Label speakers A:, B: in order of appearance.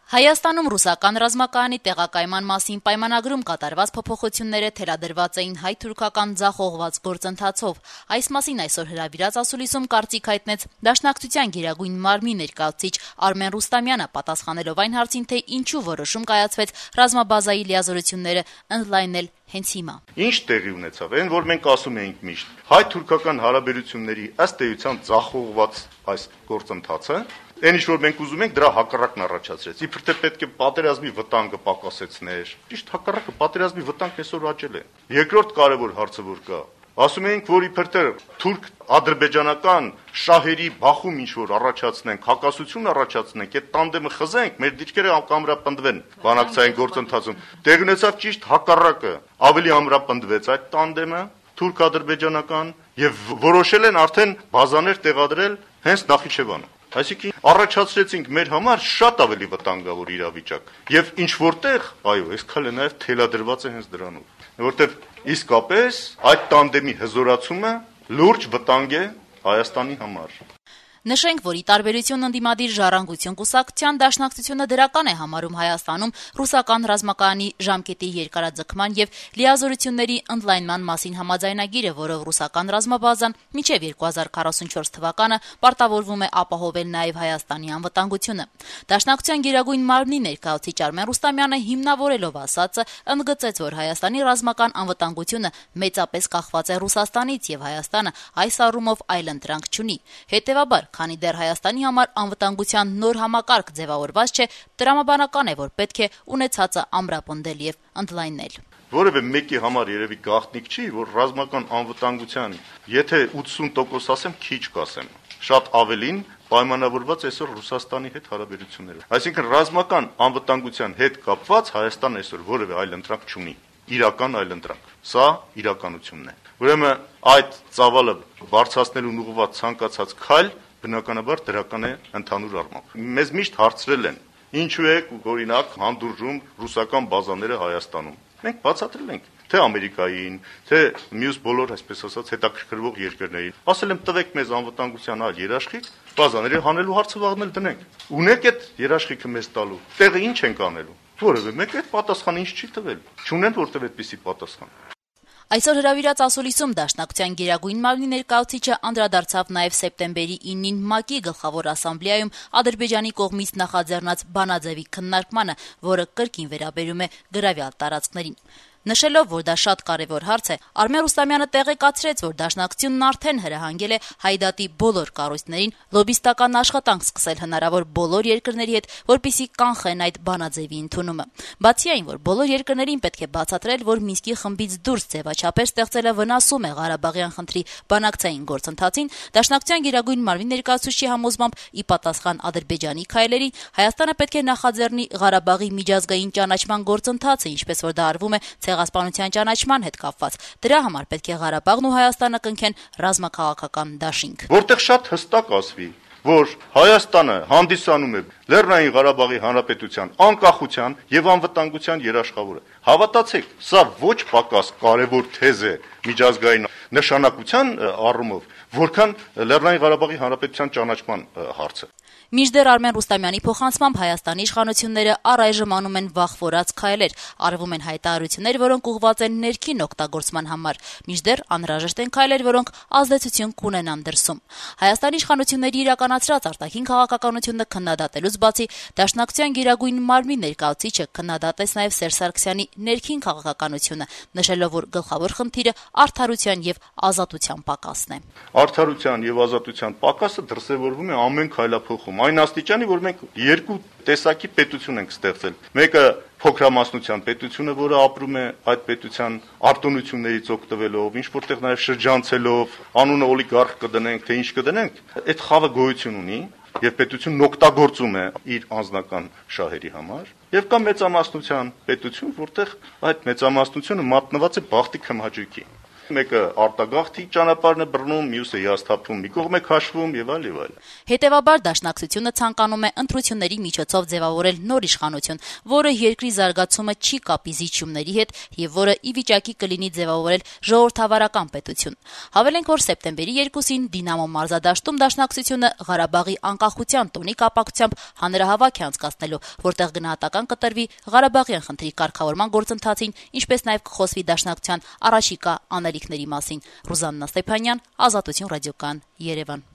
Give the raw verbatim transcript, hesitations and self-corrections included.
A: Հայաստանում ռուսական ռազմակայանի տեղակայման մասին պայմանագրում կատարված փոփոխությունները թելադրված էին հայ-թուրքական ձախողված գործընթացով։ Այս մասին այսօր հրավիրած ասուլիսում կարծիք հայտնեց Դաշնակցության գերագույն մարմնի ներկայացուցիչ Արմեն Ռուստամյանը, պատասխանելով այն հարցին, թե ինչու որոշում կայացվեց ռազմաբազայի լիազորությունները ընդլայնել հենց հիմա։
B: Ինչ տեղի ունեցավ, այն որ մենք ասում էինք միշտ, հայ-թուրքական հարաբերությունների ըստ էության ձախողված այս գործընթացը, այն ինչ որ մենք ուզում ենք, դրա հակառակն առաջացրեց։ Իբր թե պետք է պատերազմի վտանգը պակասեցներ։ Ճիշտ հակառակը, պատերազմի վտանգն այսօր աճել է։ Երկրորդ կարևոր հարցը որ կա, ասում էինք, որ իբր թե թուրք-ադրբեջանական շահերի բախում ինչ որ առաջացնենք, հակասություն առաջացնենք, այդ տանդեմը խզենք, մեր դիրքերը կամրապնդվեն բանակցային գործընթացում։ Տեղ ունեցավ ճիշտ հակառակը, ավելի ամրապնդվեց այդ տանդեմը թուրք-ադրբեջանական եւ որոշել են արդեն բազաներ տեղադրել հենց Նախիջևանում։ Այսինքն առաջացրեցինք մեր համար շատ ավելի վտանգավոր իրավիճակ եւ ինչ որտեղ, այո, այս քալը նաեւ թելադրված է հենց դրանով, որտեւ իսկապես այդ տանդեմի հզորացումը լուրջ վտանգ է Հայաստանի համար։
A: Նշենք, որ ի տարբերություն ընդդիմադիր Ժառանգություն կուսակցության, Դաշնակցությունը դրական է համարում Հայաստանում ռուսական ռազմակայանի ժամկետի երկարաձգման եւ լիազորությունների ընդլայնման մասին համաձայնագիրը, որով ռուսական ռազմաբազան մինչեւ երկու հազար քառասունչորս թվականը պարտավորվում է ապահովել նաեւ Հայաստանի անվտանգությունը։ Դաշնակցության գերագույն մարմնի ներկայացուցիչ Արմեն Ռուստամյանը հիմնավորելով ասածը ընդգծեց, որ Հայաստանի ռազմական անվտանգությունը մեծապես կախված է Ռուսաստանից եւ Հայաստանը այս առումով այլընտրանք չունի։ Հետեւաբար, քանի դեռ Հայաստանի համար անվտանգության նոր համակարգ ձևավորված չէ, տրամաբանական է, որ պետք է ունեցածը ամրապնդել եւ ընդլայնել։
B: Որևէ մեկի համար երևի գաղտնիք չի, որ ռազմական անվտանգության, եթե ութսուն տոկոս ասեմ, քիչ կասեմ, շատ ավելին պայմանավորված այսօր Ռուսաստանի հետ հարաբերությունները։ Այսինքն ռազմական անվտանգության հետ կապված Հայաստան այսօր որևէ այլ ընտրանք չունի, իրական այլ ընտրանք։ Սա իրականությունն է։ Ուրեմն այդ ծավալը բարձրացնելուն ուղղված ցանկացած քայլ բնականաբար դրական է ընդհանուր առմամբ։ Մեզ միշտ հարցրել են, ինչու է օրինակ հանդուրժում ռուսական բազաները Հայաստանում։ Մենք բացատրել ենք, թե Ամերիկային, թե մյուս բոլոր, այսպես ասած, հետաքրքրվող երկրներին։ Ասել եմ, տվեք մեզ անվտանգության այլ երաշխիք, բազաների հանելու հարցը վաղնել դնենք։ Ունեք այդ երաշխիքը մեզ տալու։ Տեղը ինչ ենք անելու։ Որևէ մեկը այդ պատասխանը ինչ չի տվել։ Չունեն որտեղ այդպիսի պատասխան։
A: Այսօր հրավիրած ասուլիսում Դաշնակցության գերագույն մարմնի ներկայացուցիչը անդրադարձավ նաև սեպտեմբերի իննին ՄԱԿ-ի գլխավոր ասամբլեայում Ադրբեջանի կողմից նախաձեռնած բանաձևի քննարկմանը, որը կրկին վերաբերում է գրավյալ տարածքներին։ Նշելով, որ դա շատ կարևոր հարց է, Արմեն Ռուստամյանը տեղեկացրեց, որ Դաշնակցությունն արդեն հրահանգել է Հայդատի բոլոր կառույցներին լոբիստական աշխատանք սկսել հնարավոր բոլոր երկրների հետ, որպեսզի կանխեն այդ բանաձևի ընդունումը։ Բացի այն, որ բոլոր երկրներին պետք է բացատրել, որ Մինսկի խմբից դուրս ձևաչափեր ստեղծելը վնասում է Ղարաբաղյան խնդրի բանակցային գործընթացին, Դաշնակցության գերագույն մարմնի ներկայացուցչի համոզմամբ, ի պատասխան Ադրբեջանի քայլերին, Հայաստանը պետք է նախաձեռնի Ղարաբաղի միջազգային ճանաչման գործընթացը, ինչպես որ դա արվում է ցեղասպանության ճանաչման հետ կապված։ Դրա համար պետք է Ղարաբաղն ու Հայաստանը կնքեն ռազմաքաղաքական դաշինք։
B: Որտեղ շատ հստակ ասվի, որ Հայաստանը հանդիսանում է Լեռնային Ղարաբաղի Հանրապետության անկախության եւ անվտանգության երաշխավորը։ Հավատացեք, սա ոչ պակաս կարևոր թեզ է միջազգային նշանակության առումով, որքան Լեռնային Ղարաբաղի Հանրապետության ճանաչման հարցը։
A: Մինչդեռ Արմեն Ռուստամյանի փոխանցմամբ Հայաստանի իշխանությունները առայժմ անում են վախվորած քայլեր, արվում են հայտարարություններ, որոնք ուղղված են ներքին օգտագործման համար, մինչդեռ անհրաժեշտ են քայլեր, որոնք ազդեցություն կունենան դրսում։ Հայաստանի իշխանությունների իրականացրած արտաքին քաղաքականությունը քննադատելուց բացի, Դաշնակցության գերագույն մարմնի ներկայացուցիչը քննադատեց նաև Սերժ Սարգսյանի ներքին քաղաքականությունը, նշելով, որ գլխավոր խնդիրը արդարության եւ ազատության պակասն է։
B: Արդարության եւ ազատության պակասը դրսևորվում է ամեն քայլափոխում։ Այն աստիճանի, որ մենք երկու տեսակի պետություն ենք ստեղծել։ Մեկը փոքրամասնության պետությունը, որը ապրում է այդ պետության արտոնություններից օգտվելով, ինչ որտեղ նաև շրջանցելով, անունը օլիգարխ կդնենք, թե ինչ կդնենք, այդ խավը գոյություն ունի եւ պետությունն օգտագործում է իր անձնական շահերի համար։ Եվ կա մեծամասնության պետություն, որտեղ այդ մեծամասնությունը մատնված է բախտի քմհաճույքի։ Մեկը արտագաղթի ճանապարհն է բռնում, մյուսը հիասթափվում, մի կողմ է քաշվում եւ այլ եւ այլ։
A: Հետևաբար Դաշնակցությունը ցանկանում է ընտրությունների միջոցով ձևավորել նոր իշխանություն, որը երկրի զարգացումը չի կապի զիջումների հետ եւ որը ի վիճակի կլինի ձևավորել ժողովրդավարական պետություն։ Հավելենք, որ սեպտեմբերի երկուսին Դինամո մարզադաշտում Դաշնակցությունը Ղարաբաղի անկախության տոնի կապակցությամբ հանրահավաք է անցկացնելու, որտեղ գնահատական կտրվի Ղարաբաղյան խնդրի կարգավորման գործընթացին, ինչպես նաեւ կխոսվի Դաշնակցության առաջիկա անելիքների մասին։ Ռուզաննա Ստեփանյան, Ազատություն ռադիոկան, Երևան։